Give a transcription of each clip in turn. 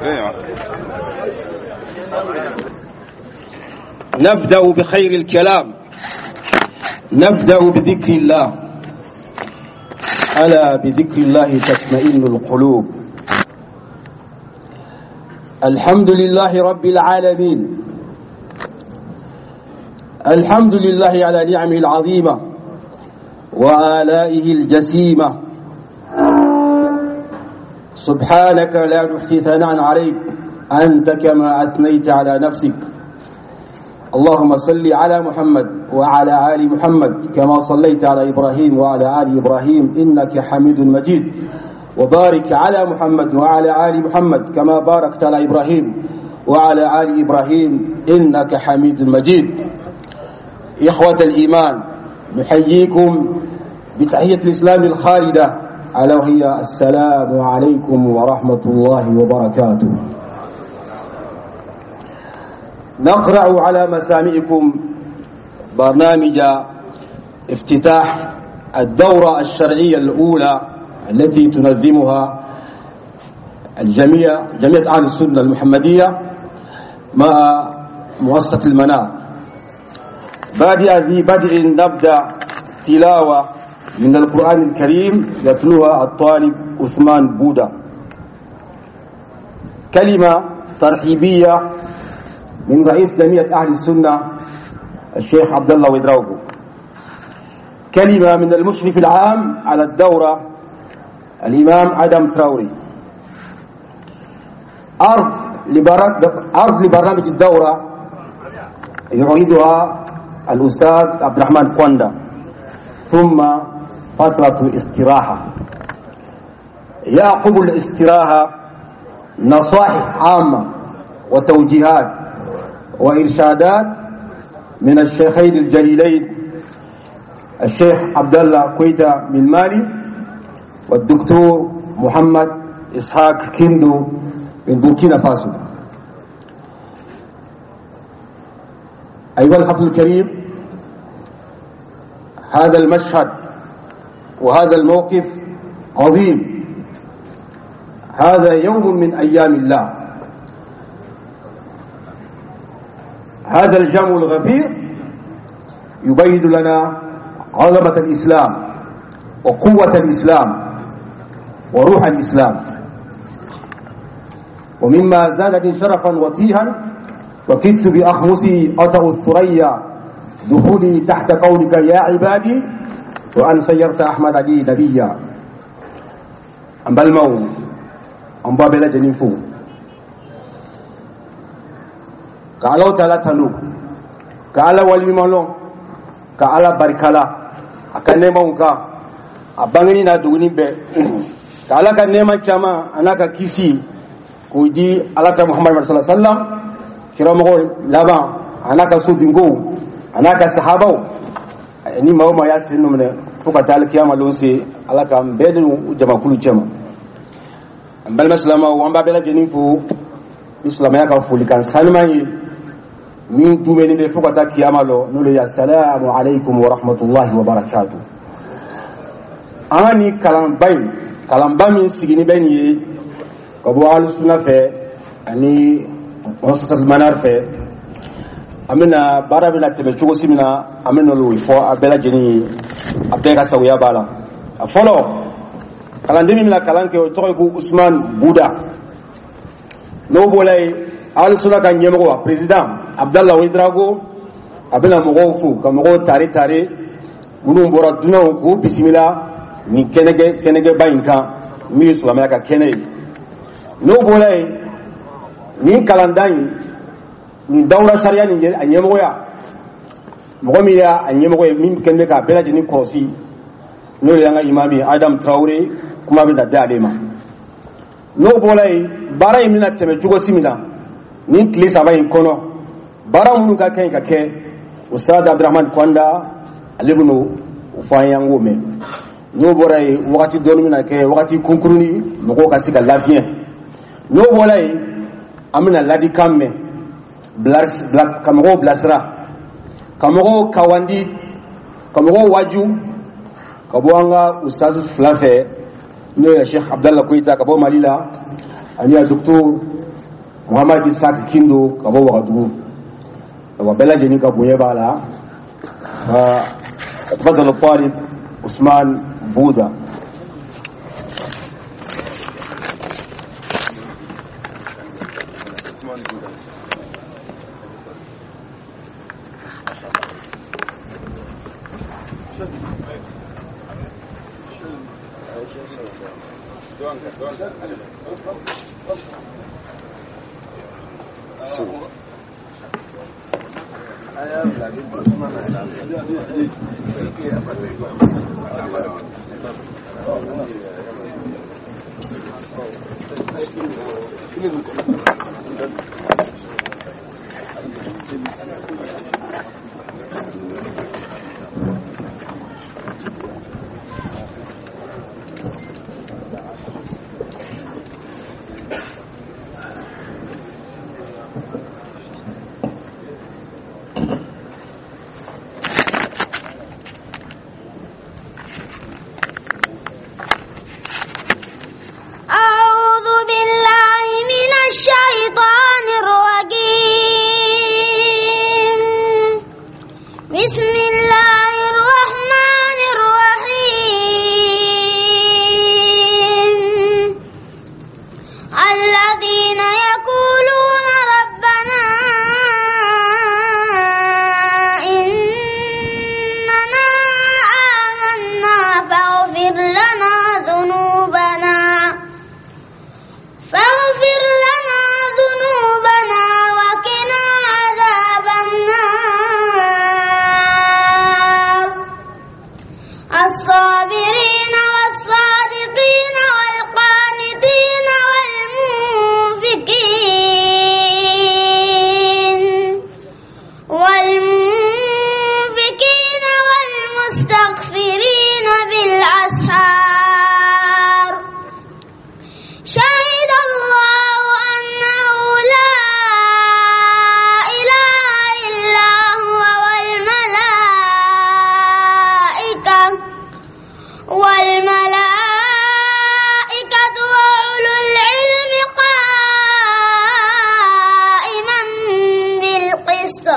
ايوه. نبدأ بخير الكلام، نبدأ بذكر الله. ألا بذكر الله تطمئن القلوب. الحمد لله رب العالمين، الحمد لله على نعمه العظيمة وآلائه الجسيمة. سبحانك لا نحصي ثناء عليك، أنت كما أثنيت على نفسك. اللهم صل على محمد وعلى آل محمد كما صليت على إبراهيم وعلى آل إبراهيم إنك حميد مجيد، وبارك على محمد وعلى آل محمد كما باركت على إبراهيم وعلى آل إبراهيم إنك حميد مجيد. إخوة الإيمان، نحييكم بتحية الإسلام الخالدة، ألا وهي السلام عليكم ورحمة الله وبركاته. نقرأ على مسامعكم برنامج افتتاح الدورة الشرعية الأولى التي تنظمها الجميع جمعية أهل السنة المحمدية مع مؤسسة المنار. بادئ ذي بدء نبدأ تلاوة من القرآن الكريم يتلوها الطالب عثمان بودا. كلمة ترحيبية من رئيس جمعية أهل السنة الشيخ عبد الله ويدراوغو. كلمة من المشرف العام على الدورة الإمام آدم تراوري. عرض لبرنامج الدورة يعيدها الأستاذ عبد الرحمن كواندا، ثم فترة استراحة. يعقب الاستراحة نصائح عامة وتوجيهات وإرشادات من الشيخين الجليلين الشيخ عبد الله كويتا من مالي والدكتور محمد إسحاق كيندو من بوركينا فاسو. أيها الحفل الكريم، هذا المشهد وهذا الموقف عظيم. هذا يوم من أيام الله. هذا الجمع الغفير يبين لنا عظمة الإسلام وقوة الإسلام وروح الإسلام. ومما زادني شرفا وتيها وكدت بأخمصي أطأ الثريا دخولي تحت قولك يا عبادي وأن سيرت أحمد علي نبيا. An balimaw, an b'a bɛɛ lajɛlen fo ka Alahu Taala tanu, ka Ala waleɲuman lɔn, ka Ala barikala a ka nɛɛmaw kan, a bangeni n'a dogoni bɛɛ, ka Ala ka nɛɛma caman a n'a ka kisi k'o di Ala ka Muhamadu sallallahu alaihi wasallam, kiramɔgɔ laban, a n'a ka sodenkow, a n'a ka sahabaw, ni maa o maa y'a sen nɔ minɛ fo ka taa alikiyama lon se. Ala k'an bɛɛ don jamakulu cɛma. An balima silamɛw, an b'a bɛɛ lajɛlen fo ni silamɛya ka folikan sanuman ye min dumɛni bɛ fo ka taa kiyama lɔ, n'o le ye asalamu aleykum wa rahmatulahi wa barakatu. An ka nin kalanba in, kalanba min sigini bɛ nin ye ka bɔ alusuna fɛ ani muassasatul manar fɛ, an bɛna baara bɛna tɛmɛ cogo si min na, an bɛna olu fɔ a bɛɛ lajɛlen ye, a bɛɛ ka sagoya b'a la. A fɔlɔ, kalanden min bɛna kalan kɛ, o tɔgɔ ye ko Usman Buda. N'o bɔra yen, alusuna ka ɲɛmɔgɔ, a président Abdallah Ouedraogo, a bɛna mɔgɔw fo ka mɔgɔw tare tare minnu bɔra dunanw k'u bisimila nin kɛnɛkɛ kɛnɛkɛba in kan min ye silamɛya ka kɛnɛ ye. N'o bɔra yen, nin kalandan in, nin dawula sariya nin, a ɲɛmɔgɔya, mɔgɔ min y'a ɲɛmɔgɔ ye, min kɛlen bɛ k'a bɛɛ lajɛlen kɔlɔsi, n'o ye an ka imami ye Adam Traore, kuma bɛ na di ale ma. N'o bɔra yen, baara in bɛna tɛmɛ cogo si min na nin tile 3 in kɔnɔ, baara minnu ka kan ka kɛ, Ustad Abdurahman Kwanda, ale bɛn'o fɔ an ye, an k'o mɛn. N'o bɔra yen, wagati dɔɔni bɛna kɛ, wagati kunkurunin, mɔgɔw ka se ka lafiɲɛ. N'o bɔra yen, an bɛna ladikan mɛn, ka mɔgɔw bilasira, ka mɔgɔw kawandi, ka mɔgɔw waju ka bɔ an ka ustaz fila fɛ, n'o ye Sheikh Abdallah Koyita ka bɔ Mali la, Ani a Docteur Muhamad Isak Kindo ka bɔ Wagadugu. Awa, bɛɛ lajɛlen ka bonya b'a la. تفضل الطالب عثمان بودا. أعوذ بالله من الشيطان الرجيم. بسم الله الرحمن الرحيم. الذين يقولون ربنا إننا آمنا فاغفر لنا ذنوبنا وقنا عذاب النار. الصابرين والصادقين والقانتين والمنفقين والمستغفرين بالأسحار. شهد الله أنه لا إله إلا هو والملائكة وأولو العلم قائما بالقسط.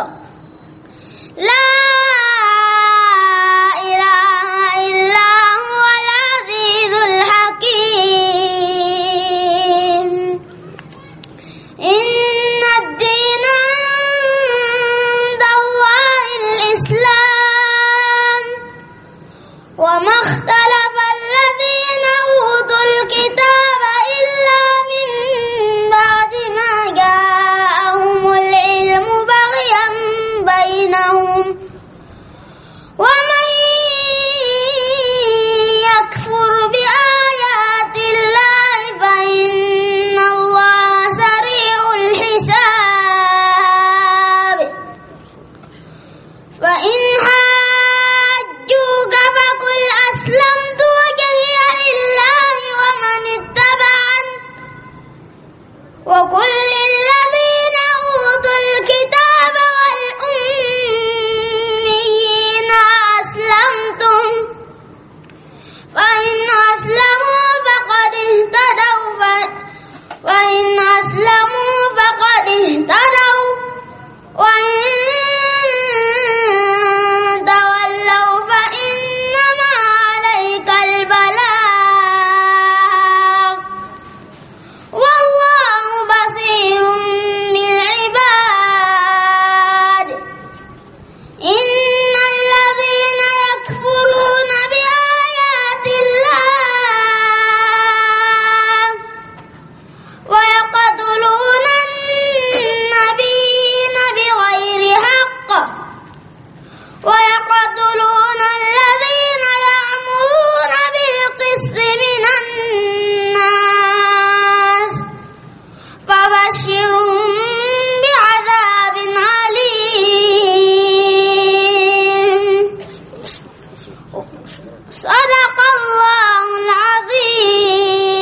لا إله إلا هو العزيز الحكيم. إن الدين عند الله الإسلام. وما اختلف الذين أوتوا الكتاب إلا من بعد ما جاءهم العلم بغيا بينهم. ومن يكفر بآيات الله فإن الله سريع الحساب. فإن حاجوك فقل أسلمت وجهي لله ومن اتبعن. وقل للذين أوتوا الكتاب والأميين أسلمتم، فإن أسلموا فقد اهتدوا، وإن تولوا فإنما عليك البلاغ، والله بصير بالعباد. إن الذين يكفرون بآيات الله ويقتلون النبيين بغير حق ويقتلون الذين يأمرون بالقسط من الناس فبشرهم بعذاب أليم. صدق الله العظيم.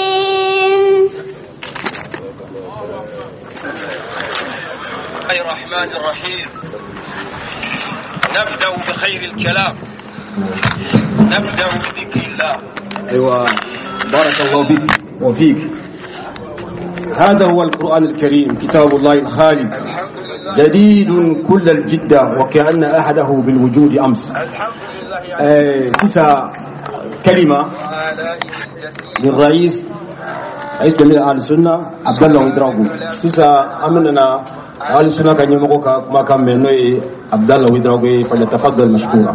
الله الرحمن الرحيم. نبدأ بخير الكلام، نبدأ بذكر الله. أيوة، بارك الله بك وفيك. هذا هو القرآن الكريم، كتاب الله الخالد، جديد كل الجدة وكأن أحده بالوجود أمس. Sisan كلمة للرئيس، رئيس جميع أهل السنة عبد الله Ouédraogo. Sisan an bɛna أهل السنة ka ɲɛmɔgɔ ka kumakan mɛn, n'o ye Abdallah Ouédraogo ye. فليتفضل مشكورا.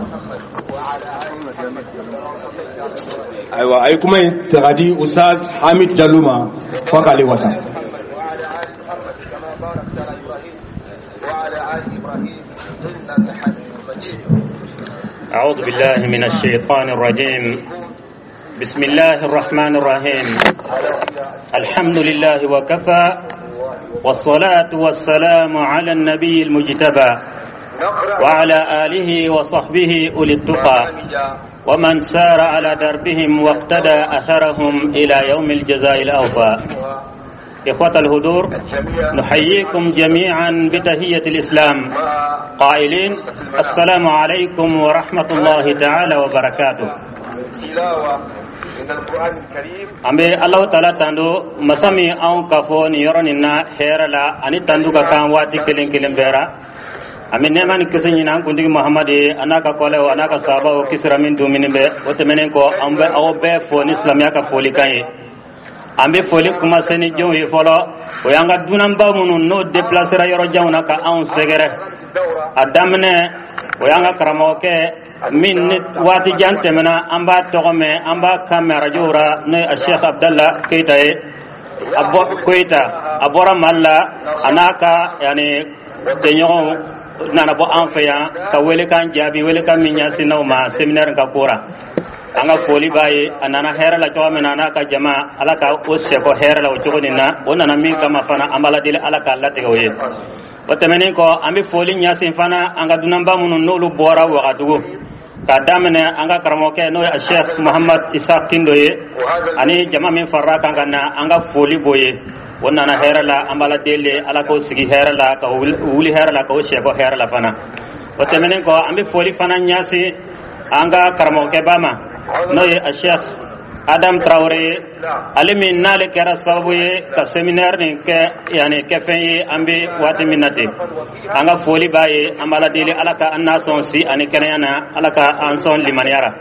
Ayiwa, a ye kuma in ta ka di Ustaz Hamid Jalo ma fo k'ale wasa. وعلى آل محمد كما باركت على إبراهيم وعلى آل إبراهيم إنك حميد مجيد. أعوذ بالله من الشيطان الرجيم. بسم الله الرحمن الرحيم. الحمد لله وكفى، والصلاة والسلام على النبي المجتبى وعلى آله وصحبه أولي التقى ومن سار على دربهم واقتدى أثرهم إلى يوم الجزاء الأوفى. إخوة الحضور، نحييكم جميعا بتحية الإسلام قائلين: السلام عليكم ورحمة الله تعالى وبركاته. تلاوة من القرآن الكريم. An bɛ Alahu Taala tando, masa min anw ka fɔ nin yɔrɔ nin na hɛrɛ la ani tandu ka kan waati kelen kelen bɛɛ ra. An bɛ nɛɛma ni kisi ɲini an kuntigi Muhamadu ye, a n'a ka kɔlɛw, a n'a ka sahabaw kisira min dumuni bɛ. O tɛmɛnen kɔ, an bɛ aw bɛɛ fo ni silamɛya ka folikan ye. An bɛ foli kuma se ni jɔnw ye fɔlɔ? O y'an ka dunanba minnu n'o déplacera yɔrɔ janw na ka anw sɛgɛrɛ. A daminɛ, o y'an ka karamɔgɔkɛ min ni waati jan tɛmɛna an b'a tɔgɔ mɛn, an b'a kan mɛn arajow ra, n'o ye Sheikh Abdallah Keita ye, a bɔ Koyita, a bɔra Mali la, a n'a ka yani jɛɲɔgɔnw nana bɔ an fɛ yan ka welekan jaabi, welekan min ɲɛsinna u ma séminaire ka ko ra. An ka foli b'a ye. A nana hɛrɛ la cogo min na, a n'a ka jama, Ala ka o sɛkɔ hɛrɛ la o cogo nin na. O nana min kama fana, an b'Ala deli Ala k'a latigɛ o ye. O tɛmɛnen kɔ, an bɛ foli ɲɛsin fana an ka dunanba minnu n'olu bɔra Wagadugu, k'a daminɛ an ka karamɔgɔkɛ, n'o ye Sheikh Muhammad Isa Kindo ye, ani jama min farala kan ka na, an ka foli b'o ye. O nana hɛrɛ la, an b'Ala deli Ala k'o sigi hɛrɛ la, ka wuli hɛrɛ la, k'o sɛkɔ hɛrɛ la fana. O tɛmɛnen kɔ, an bɛ foli fana ɲɛsin an ka karamɔgɔkɛba ma, n'o ye a Sheikh Adam Traoré ye, ale min n'ale kɛra sababu ye ka séminaire nin kɛ yani kɛfɛn ye an bɛ waati min na ten. An ka foli b'a ye. An b'Ala deli Ala ka an n'a sɔn si ani kɛnɛya na, Ala ka an sɔn limaniya ra.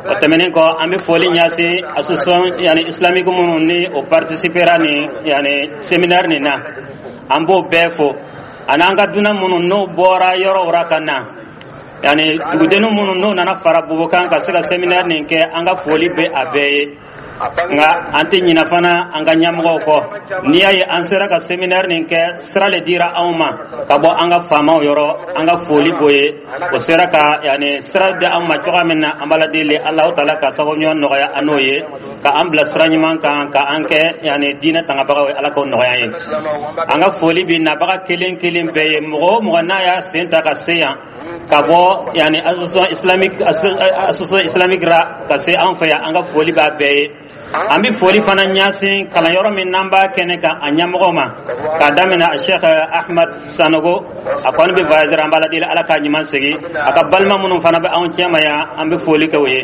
O tɛmɛnen kɔ, an bɛ foli ɲɛsin association yani islamique minnu ni o participera nin yani séminaire nin na, an b'o bɛɛ fo, ani an ka dunan minnu n'o bɔra yɔrɔw ra ka na, yani dugudennin minnu n'o nana fara Bobo kan ka se ka séminaire nin kɛ, an ka foli bɛ a bɛɛ ye. Nka an tɛ ɲina fana an ka ɲɛmɔgɔw kɔ. N'i y'a ye an sera ka séminaire nin kɛ, sira le dira anw ma ka bɔ an ka faamaw yɔrɔ. An ka foli b'o ye. O sera ka yani sira di anw ma cogoya min na, an b'Ala deli Alahu Taala ka sababu ɲuman nɔgɔya an n'o ye, ka an bila sira ɲuman kan, ka an kɛ yani diinɛ tangabagaw ye. Ala k'o nɔgɔya an ye. An ka foli bi nabaga kelen kelen bɛɛ ye. Mɔgɔ o mɔgɔ n'a y'a sen ta ka se yan ka bɔ yani association islamique ra ka se an fɛ yan, an ka foli b'a bɛɛ ye. An bɛ foli fana ɲɛsin kalanyɔrɔ min n'an b'a kɛnɛ kan, a ɲɛmɔgɔ ma, k'a daminɛ a Sheikh Ahmad Sanogo. A kɔni bɛ voyager, an b'Ala deli Ala k'a ɲuman segin. A ka balima minnu fana bɛ anw cɛma yan, an bɛ foli kɛ o ye.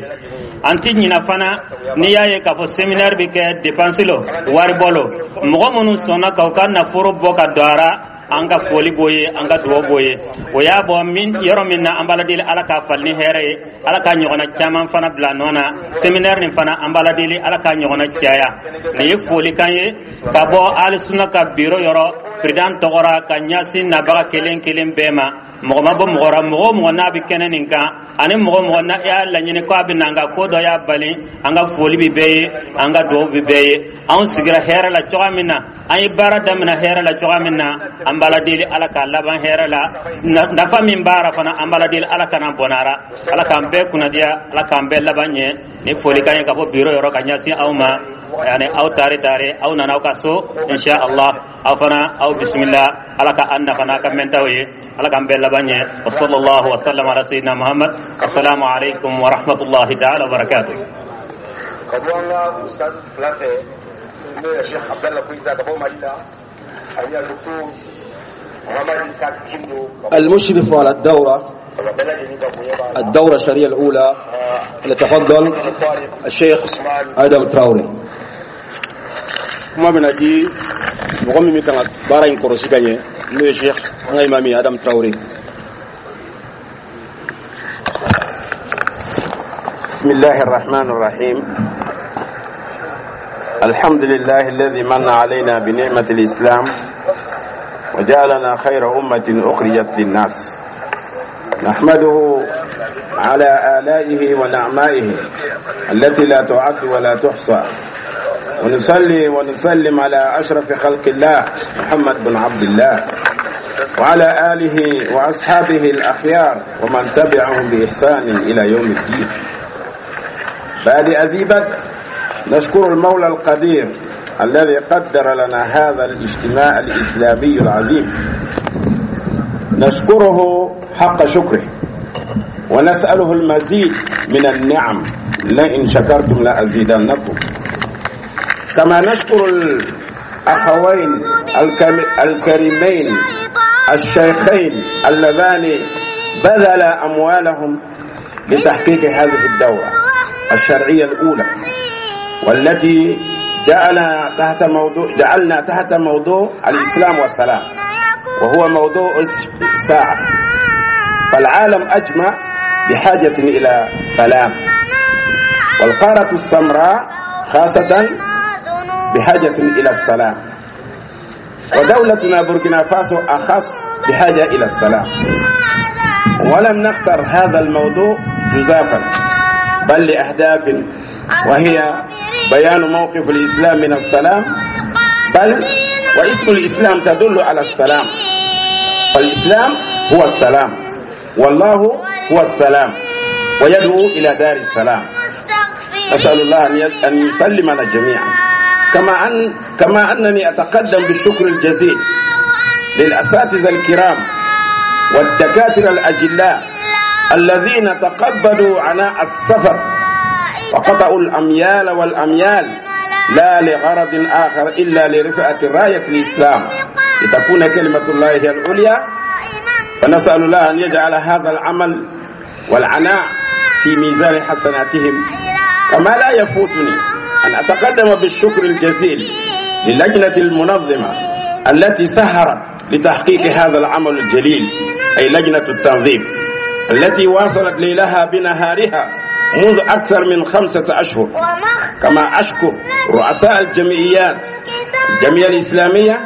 An tɛ ɲina fana, n'i y'a ye k'a fɔ séminaire bɛ kɛ, dépense lo, wari bɔ lo, mɔgɔ minnu sɔnna k'u ka nafolo bɔ ka don a ra, an ka foli b'o ye, an ka dugawu b'o ye. O y'a bɔ min yɔrɔ min na, an b'Ala deli Ala k'a falen ni hɛrɛ ye, Ala k'a ɲɔgɔnna caman fana bila nɔ na. Séminaire nin fana, an b'Ala deli Ala k'a ɲɔgɔnna caya. Nin ye folikan ye ka bɔ Alisuna ka biro yɔrɔ, président tɔgɔra, ka ɲɛsin nabaga kelen kelen bɛɛ ma. Mɔgɔ ma bɔ mɔgɔ ra. Mɔgɔ o mɔgɔ n'a bɛ kɛnɛ nin kan, ani mɔgɔ o mɔgɔ n'a y'a laɲini ko a bɛ na, nka ko dɔ y'a bali, an ka foli bɛ bɛɛ ye, an ka dugawu bɛ bɛɛ ye. Anw sigira hɛrɛ la cogoya min na, an ye baara daminɛ hɛrɛ la cogoya min na, an b'Ala deli Ala k'a laban hɛrɛ la. Nafa min b'a ra fana, an b'Ala deli Ala kana bɔnna. Ala k'an bɛɛ kunnadiya, Ala k'an bɛɛ laban ɲɛ. Ni folikan ye ka bɔ biro yɔrɔ ka ɲɛsin aw ma. Yani aw tare tare, aw nana aw ka so, insha Allah aw fana aw bisimila. Ala ka an nafa n'a ka mɛntaw ye, Ala k'an bɛɛ laban ɲɛ. وصلى الله وسلم على سيدنا محمد. السلام عليكم ورحمة الله تعالى وبركاته. Ka bɔ an ka ustaz fila fɛ, n'o ye Sheikh Abdallah Koyita ka bɔ Mali la, ani a docteur Muhammad Isa Kindo ka bɔ المشرف على الدورة bɛɛ lajɛlen ka bonya b'a la. الدورة الشرعية الأولى، يتفضل الشيخ آدم تراوري. Kuma bɛna di mɔgɔ min bɛ kan ka baara in kɔlɔsi ka ɲɛ, n'o ye Sheikh, an ka imami Adam Traoré. بسم الله الرحمن الرحيم. الحمد لله الذي من علينا بنعمة الإسلام وجعلنا خير أمة أخرجت للناس. نحمده على آلائه ونعمائه التي لا تعد ولا تحصى، ونصلي ونسلم على أشرف خلق الله محمد بن عبد الله وعلى آله وأصحابه الأخيار ومن تبعهم بإحسان إلى يوم الدين. بعد أزيبت، نشكر المولى القدير الذي قدر لنا هذا الاجتماع الإسلامي العظيم، نشكره حق شكره ونسأله المزيد من النعم، لئن شكرتم لأزيدنكم. كما نشكر الأخوين الكريمين الشيخين اللذان بذلا أموالهم لتحقيق هذه الدورة الشرعية الأولى، والتي جعلنا تحت موضوع الإسلام والسلام، وهو موضوع الساعة، فالعالم أجمع بحاجة إلى سلام، والقارة السمراء خاصة بحاجة إلى السلام، ودولتنا بوركينا فاسو أخص بحاجة إلى السلام. ولم نختر هذا الموضوع جزافا، بل لأهداف، وهي بيان موقف الإسلام من السلام، بل واسم الإسلام تدل على السلام، فالإسلام هو السلام، والله هو السلام، ويدعو إلى دار السلام. نسأل الله أن يسلمنا جميعا. كما أنني أتقدم بالشكر الجزيل للأساتذة الكرام والدكاترة الأجلاء الذين تقبلوا عناء السفر وقطعوا الأميال والأميال، لا لغرض آخر إلا لرفعة راية الإسلام لتكون كلمة الله هي العليا. فنسأل الله أن يجعل هذا العمل والعناء في ميزان حسناتهم. كما لا يفوتني أن أتقدم بالشكر الجزيل للجنة المنظمة التي سهرت لتحقيق هذا العمل الجليل، أي لجنة التنظيم التي واصلت ليلها بنهارها منذ أكثر من 5 أشهر. كما أشكر رؤساء الجمعيات، الجمعية الإسلامية،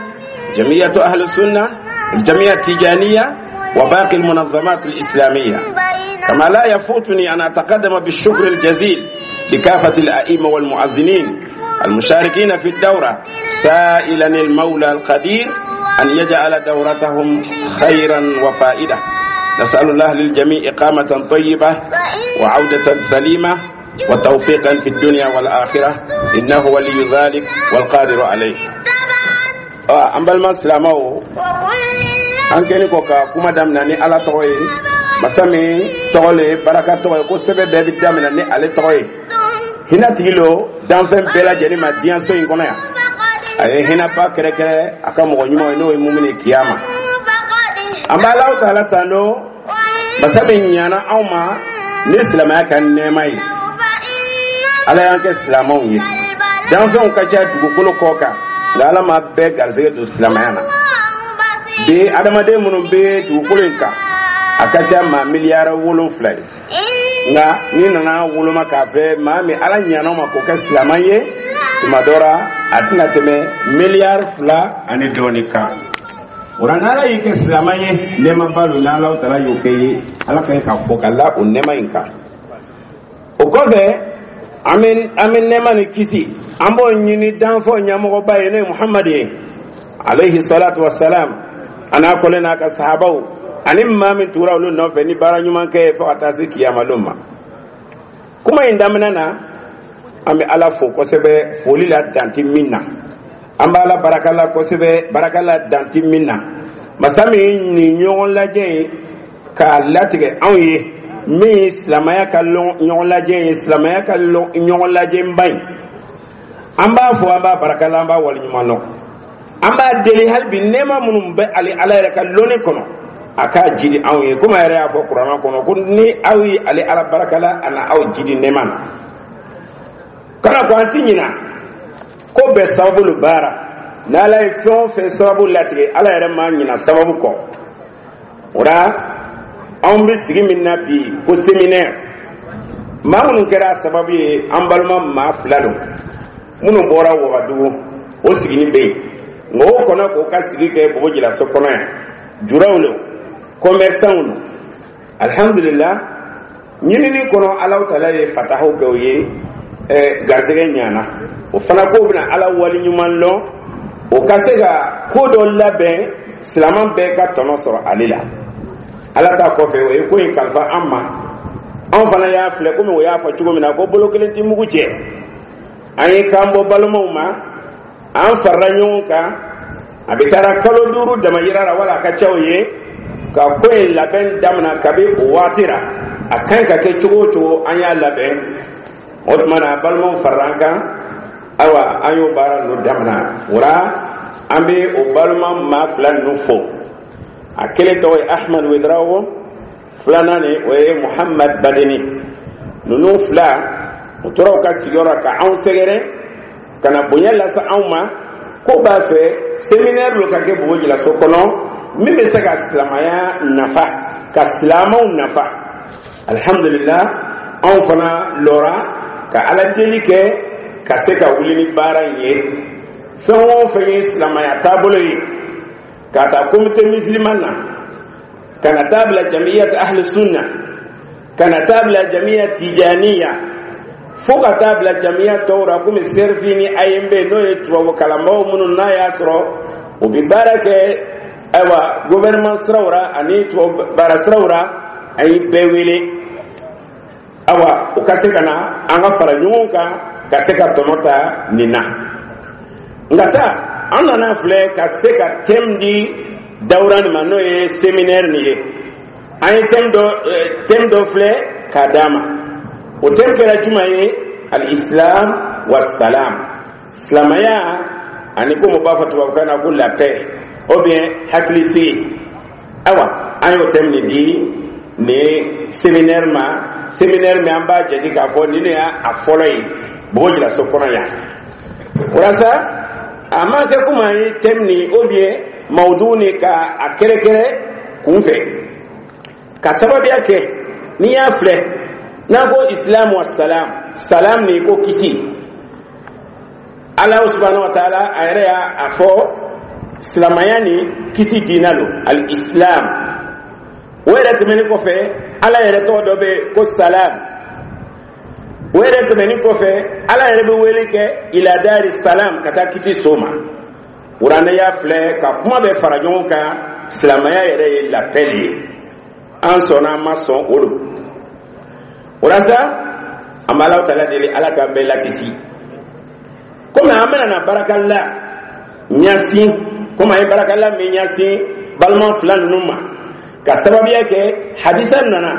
جمعية أهل السنة، الجمعية التجانية، وباقي المنظمات الإسلامية. كما لا يفوتني أن أتقدم بالشكر الجزيل لكافة الأئمة والمؤذنين المشاركين في الدورة، سائلا المولى القدير أن يجعل دورتهم خيرا وفائدة. نسأل الله للجميع إقامة طيبة وعودة سليمة وتوفيقا في الدنيا والآخرة، إنه ولي ذلك والقادر عليه. An balima silamɛw, an kɛlen kɔ ka kuma daminɛ ni Ala tɔgɔ ye, masa min tɔgɔ le ye baraka tɔgɔ ye, ko sɛbɛn bɛɛ bɛ daminɛ ni ale tɔgɔ ye, hinɛ tigi lo danfɛn bɛɛ lajɛlen ma diɲɛso in kɔnɔ yan. A ye hinɛba kɛrɛkɛrɛ a ka mɔgɔ ɲumanw ye, n'o ye mumini kiyama. An bɛ Alahu Taala tando, masa min ɲana anw ma ni silamɛya ka nɛɛma ye. Ala y'an kɛ silamɛw ye. Danfɛnw ka ca dugukolo kɔ kan, nka Ala ma bɛɛ garisɛgɛ don silamɛya na. Bi, adamaden minnu bɛ dugukolo in kan, a ka ca maa miliyari 7 ye, nka n'i nana woloma k'a fɛ maa min Ala ɲana ma k'o kɛ silamɛ ye, tuma dɔ la a tɛna tɛmɛ miliyari 2 ani dɔɔni kan. O la, n'Ala y'i kɛ silamɛ ye, nɛɛmaba don. N'Ala Taala y'o kɛ ye, Ala ka ɲi k'a fɔ ka la o nɛɛma in kan. O kɔfɛ, an bɛ nɛɛma ni kisi, an b'o ɲini danfɛnw ɲɛmɔgɔba ye, n'o ye Muhamadu ye alayhi salatu wa salam, a n'a kɔlen n'a ka sahabaw ani maa min tugura olu nɔfɛ ni baara ɲuman kɛ ye fo ka taa se kiyamalon ma. Kuma in daminɛ na, an bɛ Ala fo kosɛbɛ, foli la danti min na. An bɛ Ala barakala kosɛbɛ, barakala danti min na. Masa min nin ɲɔgɔn lajɛ ye k'a latigɛ anw ye, min ye silamɛya ka ɲɔgɔn lajɛ ye, silamɛya ka ɲɔgɔn lajɛba in, an b'a fɔ, an b'a barakala, an b'a waleɲuman dɔn. An b'a deli hali bi, nɛɛma minnu bɛ ale Ala yɛrɛ ka lɔnni kɔnɔ, a k'a jidi anw ye, komi a yɛrɛ y'a fɔ Kuranɛ kɔnɔ ko ni aw ye ale Ala barakala, a na aw jidi nɛɛma na. Kana ko an ti ɲina. Ko bɛɛ sababu lo baara. N'Ala ye fɛn o fɛn sababu latigɛ, Ala yɛrɛ ma ɲina sababu kɔ. O la, anw bɛ sigi min na bi ko séminaire, maa minnu kɛra a sababu ye, an balima maa fila don minnu bɔra Wagadugu. O sigini bɛ yen, nka o kɔnɔ k'o ka sigi kɛ Bobo Julaso kɔnɔ yan. Juraw lo, commerçants lo. Alhamdulillah, ɲinini kɔnɔ, Alahu Taala ye fatahaw kɛ o ye, garisɛgɛ ɲana. O fana k'o bɛna Ala wali ɲuman lɔn, o ka se ka ko dɔ labɛn, silaman bɛɛ ka tɔnɔ sɔrɔ ale la. Ala ta kɔfɛ, o ye ko in kalifa an ma. Anw fana y'a filɛ komi o y'a fɔ cogo min na ko bolo kelen tɛ mugu cɛ. An ye kan bɔ balimaw ma, an farala ɲɔgɔn kan. A bɛ taara kalo 5 damayira la, wala a ka ca o ye, ka ko in labɛn damina. Kabi o waati la, a ka ɲi ka kɛ cogo o cogo, an y'a labɛn. O tuma na, balimaw farala an kan. Ayiwa, an y'o baara ninnu damina. O la, an bɛ o balima maa fila ninnu fo. A kelen tɔgɔ ye Ahmad Wedrawo, filanan ni o ye Muhammad Badeni. Ninnu fila, u tora u ka sigiyɔrɔ ka anw sɛgɛrɛ ka na bonya lase anw ma, ko b'a fɛ séminaire dɔ ka kɛ Bobo Julaso kɔnɔ min bɛ se ka silamɛya nafa, ka silamɛw nafa. Alhamdulillah, anw fana lɔra ka Ala deli kɛ ka se ka wuli ni baara in ye. Fɛn o fɛn ye silamɛya taabolo ye, ka taa Comité musulman na, ka na taa bila Jamiyat Ahli Sunna, ka na taa bila Jamiya Tijaniya, fo ka taa bila jamiya tɔw ra komi CERFI ni AMB, n'o ye tubabu kalanbaaw minnu n'a y'a sɔrɔ u bɛ baara kɛ, ayiwa, gouvernement siraw ra ani tubabu baara siraw ra, an ye bɛɛ wele. Awa, u ka se ka na, an ka fara ɲɔgɔn kan ka se ka tɔnɔ ta nin na. Nka sa, an nana filɛ ka se ka thème di dawura nin ma, n'o ye séminaire nin ye. An ye thème dɔ filɛ k'a d'a ma. O thème kɛra jumɛn ye? Al-islam wa salam, silamɛya ani ko mo b'a fɔ tubabukan na ko la paix ou bien hakilisigi. Ayiwa, an y'o thème nin di nin séminaire ma. Séminaire min, an b'a jate k'a fɔ nin de y'a fɔlɔ ye Bobo Julaso kɔnɔ yan. Walasa a ma kɛ komi an ye thème nin ou bien mawudu nin ka a kɛrɛkɛrɛ kunfɛ, ka sababuya kɛ n'i y'a filɛ n'a ko islam wa salam, salam nin ko kisi. Ala subhanahu wa taala a yɛrɛ y'a a fɔ silamɛya ni kisi diina lo, al islam. O yɛrɛ tɛmɛnen kɔfɛ, Ala yɛrɛ tɔgɔ dɔ bɛ yen ko salam. O yɛrɛ tɛmɛnen kɔfɛ, Ala yɛrɛ bɛ wele kɛ ila dari salam, ka taa kisi so ma. Kuranɛ y'a filɛ ka kuma bɛ fara ɲɔgɔn kan, silamɛya yɛrɛ ye la paix ye. An sɔnna, an ma sɔn, o don. O la sa, an bɛ Alahu Taala deli, Ala k'an bɛɛ lakisi. Komi an bɛna na barakala ɲasin, komi an ye barakala min ɲasin balima fila ninnu ma, ka sababuya kɛ hadisa nana: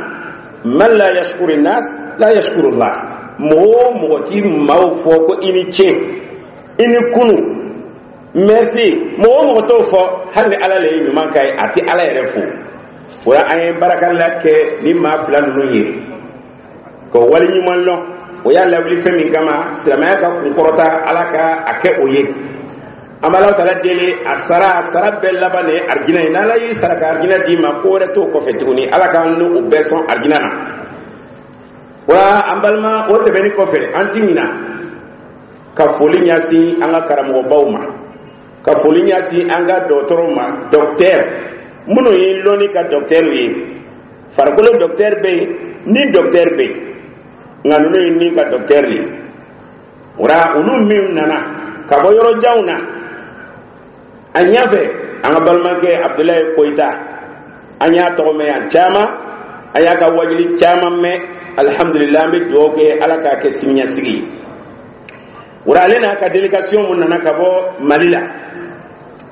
man la yashkuru nas la yashkuru Allah. Mɔgɔ o mɔgɔ ti maaw fɔ ko i ni ce, i ni kunu, merci, mɔgɔ o mɔgɔ t'o fɔ, hali ni Ala le ye ɲuman k'a ye, a ti Ala yɛrɛ fo. O la, an ye barakala kɛ ni maa fila ninnu ye ka wali ɲuman lɔn. O y'a lawuli fɛn min kama, silamɛya ka kunkɔrɔta, Ala ka a kɛ o ye. An b'Ala Taala deli, a sara, a sara bɛɛ laban de ye arijinɛ ye. N'Ala y'i sara ka arijinɛ d'i ma, ko wɛrɛ t'o kɔfɛ tuguni. Ala k'an n'o bɛɛ sɔn arijinɛ na. Wa an balima, o tɛmɛnen kɔfɛ, an ti ɲina ka foli ɲɛsin an ka karamɔgɔbaw ma, ka foli ɲɛsin an ka dɔgɔtɔrɔw ma, docteur minnu ye lɔnni ka docteur ye. Farikolo docteur bɛ yen ni docteur bɛ yen, nka ninnu ye ni ka docteur de ye. O la, olu min nana ka bɔ yɔrɔ janw na, a ɲɛfɛ an ka balimakɛ Abudulayi Koyita, an y'a tɔgɔ mɛn yan caman, an y'a ka wajuli caman mɛn. Alihamudulila, an bɛ dugawu kɛ, Ala k'a kɛ siniɲɛsigi ye. O la, ale n'a ka délégation mun nana ka bɔ Mali la,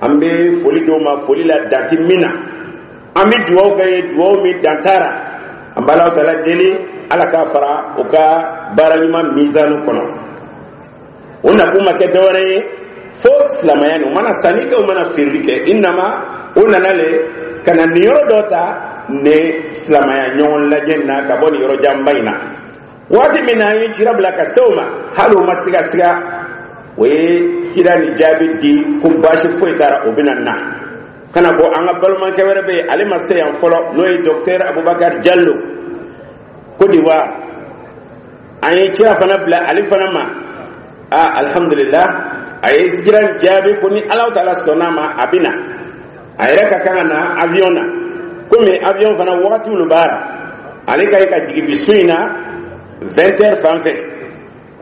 an bɛ foli d'o ma, foli la danti min na. An bɛ dugawu kɛ ye, dugawu min dan t'a la. An b'Ala Taala deli, Ala k'a fara o ka baara ɲuman mizanu kɔnɔ. O nakun ma kɛ dɔwɛrɛ ye fo silamɛya nin. U mana sanni kɛ, u mana feereli kɛ, i nama o nana le ka na nin yɔrɔ dɔ ta ni silamɛya ɲɔgɔn lajɛ na ka bɔ nin yɔrɔ janba in na. Waati min na an ye cira bila ka se o ma, hali o ma siga siga. O ye kira ni jaabi di ko baasi foyi t'a ra, o bɛna na. Kana ko an ka balimakɛ wɛrɛ bɛ yen, ale ma se yan fɔlɔ, n'o ye docteur Abubakar Jallo, Côte d'Ivoire. An ye kira fana bila ale fana ma. Aa, alhamdulillah, a ye kira jaabi ko ni Alahu Taala sɔnna a ma, a bɛ na. A yɛrɛ ka kan ka na avion na, komi avion fana wagatiw lo b'a ra. Ale ka ye ka jigin bi su in na 20 heures fan fɛ.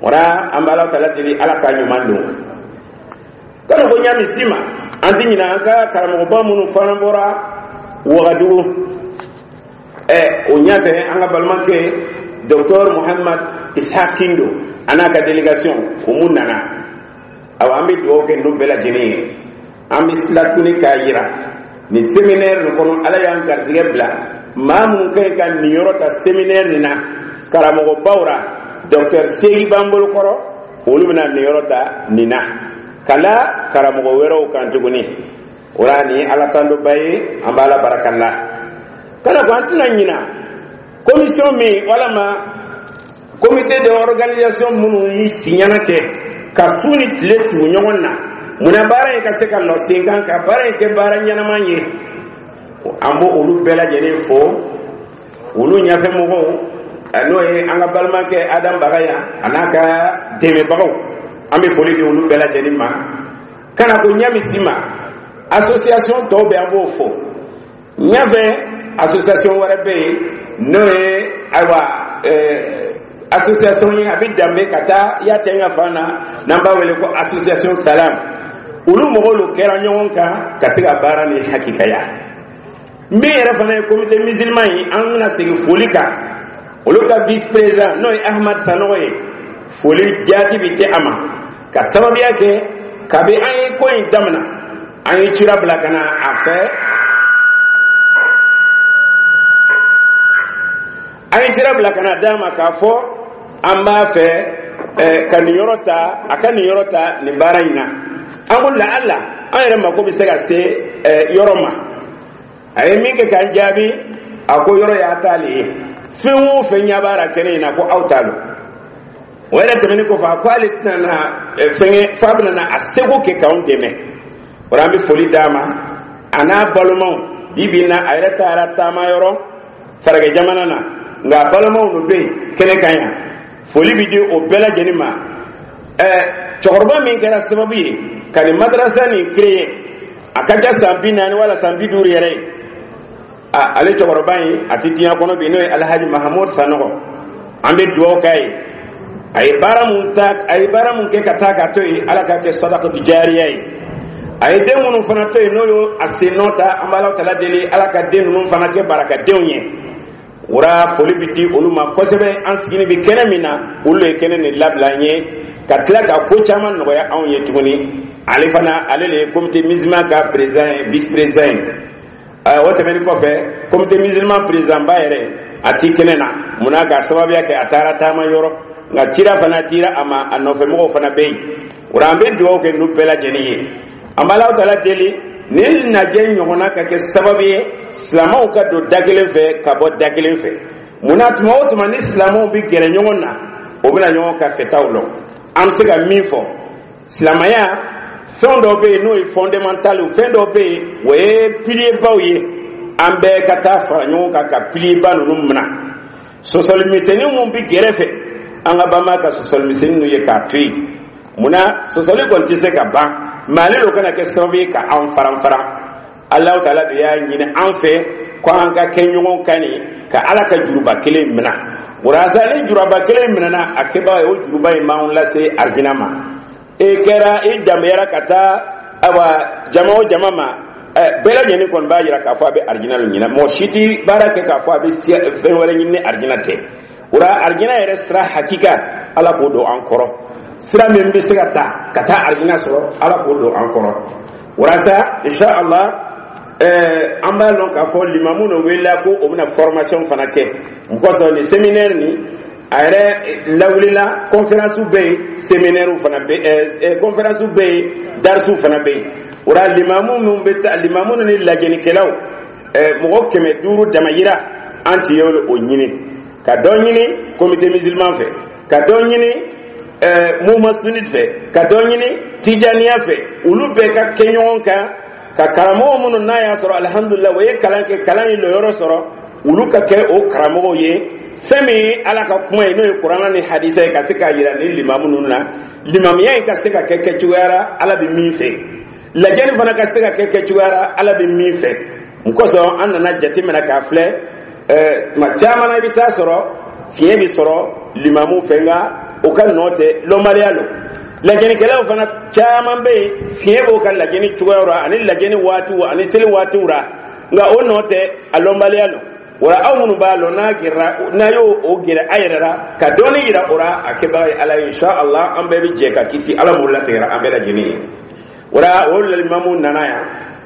Wara an bɛ Alahu Taala deli, Ala k'a ɲuman don. Kana ko ɲami si ma, an ti ɲinɛ an ka karamɔgɔba minnu fana bɔra Wagadugu. O ɲɛfɛ, an ka balimakɛ docteur Muhammad Ishaq Kindo a n'a ka délégation, o mun nana. Awa, an bɛ dugawu kɛ ninnu bɛɛ lajɛlen ye. An bɛ tila tuguni k'a yira nin séminaire nin kɔnɔ, Ala y'an garijɛgɛ bila maa minnu ka ɲi ka niyɔrɔ ta séminaire nin na, karamɔgɔbaw ra, docteur Segi b'an bolo kɔrɔ, olu bɛna niyɔrɔ ta nin na ka la karamɔgɔ wɛrɛw kan tuguni. O la, nin ye Ala tandoba ye, an b'a la barakala. Kana ko an tɛna ɲina commission min walama comité de organisation minnu y'i siɲɛna kɛ ka su ni tile tugu ɲɔgɔn na, munna baara in ka se ka lɔ sen kan, ka baara in kɛ baara ɲɛnama ye. An b'o olu bɛɛ lajɛlen fo, olu ɲɛfɛmɔgɔw, n'o ye an ka balimakɛ Adam Bagaya a n'a ka dɛmɛbagaw. An bɛ foli di olu bɛɛ lajɛlen ma. Kana ko ɲami si ma, association tɔw bɛ, an b'o fo. Ɲɛfɛ, association wɛrɛ bɛ yen, n'o ye ayiwa association ye, a bɛ danbe ka taa Yatɛ ka fan na, n'an b'a wele ko association Salam. Olu mɔgɔw lo kɛra ɲɔgɔn kan ka se ka baara ni hakikaya. Min yɛrɛ fana ye comité musulman ye, an bɛna segin foli kan olu ka vice président, n'o ye Ahmad Sanogo ye. Foli jaati bi tɛ a ma, ka sababuya kɛ kabi an ye ko in daminɛ, an ye cira bila ka na a fɛ, an ye cira bila ka na d'a ma k'a fɔ an b'a fɛ ka nin yɔrɔ ta, a ka nin yɔrɔ ta nin baara in na. An ko laala an yɛrɛ mako bɛ se ka se yɔrɔ ma. A ye min kɛ k'an jaabi, a ko yɔrɔ y'a t'ale ye, fɛn o fɛn ɲɛ b'a la kɛnɛ in na, ko aw t'a lɔn. O yɛrɛ tɛmɛnen kɔfɛ, a ko ale tɛna na fɛnkɛ f'a bɛna na a seko kɛ k'anw dɛmɛ. O la, an bɛ foli d'a ma a n'a balimaw. Bi bi in na, a yɛrɛ taara taama yɔrɔ faragɛ jamana na, nka a balimaw de bɛ yen kɛnɛ kan yan. Foli bɛ di o bɛɛ lajɛlen ma. Cɛkɔrɔba min kɛra sababu ye ka nin madarasa nin créer, a ka ca san 40 wala san 50 yɛrɛ ye, ale cɛkɔrɔba in a tɛ diɲɛ kɔnɔ bi, n'o ye Alhaji Mahamud Sanɔgɔ. An bɛ dugawu k'a ye. A ye baara mun ta, a ye baara mun kɛ ka taa k'a to yen, Ala k'a kɛ sadakatu jariya ye. A ye den minnu fana to yen, n'o y'o a sen nɔ ta, an bɛ Ala tala deli, Ala ka den ninnu fana kɛ barakadenw ye. Wara foli bɛ di olu ma kosɛbɛ. An sigini bɛ kɛnɛ min na, olu ye kɛnɛ nin labila an ye ka tila ka ko caman nɔgɔya anw ye tuguni. Ale fana, ale de ye comité musulman ka président ye, vice président ye. O tɛmɛnen kɔfɛ, comité musulman président ba yɛrɛ a ti kɛnɛ na, munna ka sababuya kɛ a taara taama yɔrɔ, nka cira fana dira a ma, a nɔfɛmɔgɔw fana bɛ yen. O la, an bɛ dugawu kɛ ninnu bɛɛ lajɛlen ye. An bɛ Alahu Taala deli, nin lajɛ ɲɔgɔnna ka kɛ sababu ye silamɛw ka don da kelen fɛ ka bɔ da kelen fɛ. Munna tuma o tuma ni silamɛw bɛ gɛrɛ ɲɔgɔn na, o bɛna ɲɔgɔn ka fɛtaw lɔn. An bɛ se ka min fɔ, silamɛya fɛn dɔw bɛ yen n'o ye fondamental, fɛn dɔw bɛ yen o ye pilier baw ye, an bɛɛ ka taa fara ɲɔgɔn kan ka pilier ba ninnu minɛ. Sɔsɔlimisɛnnin minnu bɛ gɛrɛfɛ, an ka banba ka sɔsɔlimisɛnnin ninnu ye k'a to yen. Munna sɔsɔli kɔni tɛ se ka ban, mɛ ale de kana kɛ sababu ye ka an faran faran. Alahu Taala de y'a ɲini an fɛ ko an ka kɛ ɲɔgɔn kan nin ka Ala ka juruba kelen minɛ. Walasa ni juruba kelen minɛna, a kɛbaga ye o juruba in b'anw lase arijina ma. E kɛra i danbeyara ka taa awa jama o jama ma, bɛɛ lajɛlen kɔni b'a yira k'a fɔ a bɛ arijina de ɲini. Mɔgɔ si tɛ baara kɛ k'a fɔ a bɛ fɛn wɛrɛ ɲini ni arijina tɛ. O la, arijina yɛrɛ sira hakika, Ala k'o don an kɔrɔ. Sira min bɛ se ka ta ka taa arijina sɔrɔ, Ala k'o don an kɔrɔ. Walasa insha Allah, an b'a lɔn k'a fɔ limamu dɔ welela ko o bɛna formation fana kɛ. O kosɔn nin séminaire nin a yɛrɛ lawulila, conférence bɛ yen, séminaire fana bɛ yen, conférence bɛ yen, darisiw fana bɛ yen. O la, limamu minnu bɛ taa, limamu ni lajɛlikɛlaw, mɔgɔ 500 damayira, an tun ye o ɲini ka dɔ ɲini comité musulman fɛ, ka dɔ ɲini Mouvement sunnite fɛ, ka dɔ ɲini tijaniya fɛ, olu bɛɛ ka kɛ ɲɔgɔn kan ka karamɔgɔ minnu n'a y'a sɔrɔ, alihamudulila, o ye kalan kɛ, kalan ye lɔyɔrɔ sɔrɔ, olu ka kɛ o karamɔgɔw ye. Fɛn min ye Ala ka kuma ye, n'o ye Kuranna ni hadisa ye, ka se k'a yira ni limamu ninnu na, limamiya in ka se ka kɛ kɛcogoya la Ala bɛ min fɛ, lajɛli fana ka se ka kɛ kɛcogoya la Ala bɛ min fɛ. Mun kosɔn an nana jateminɛ k'a filɛ, tuma caman na, i bɛ taa sɔrɔ fiɲɛ bɛ sɔrɔ limamu fɛ, nka o ka nɔ tɛ, lɔnbaliya lo. Lajɛnikɛlaw fana caman bɛ yen, fiɲɛ b'o ka lajɛni cogoyaw la ani lajɛni waatiw ani seli waatiw la, nka o nɔ tɛ, a lɔnbaliya lo. Wala aw minnu b'a lɔn, n'a gɛrɛra, n'a y'o o gɛrɛ a yɛrɛ la ka dɔɔni yira o la, a kɛbaga ye Ala ye, insha Allah, an bɛɛ bɛ jɛ ka kisi. Ala m'o latigɛra an bɛɛ lajɛlen ye. Wala o limamu nana yan,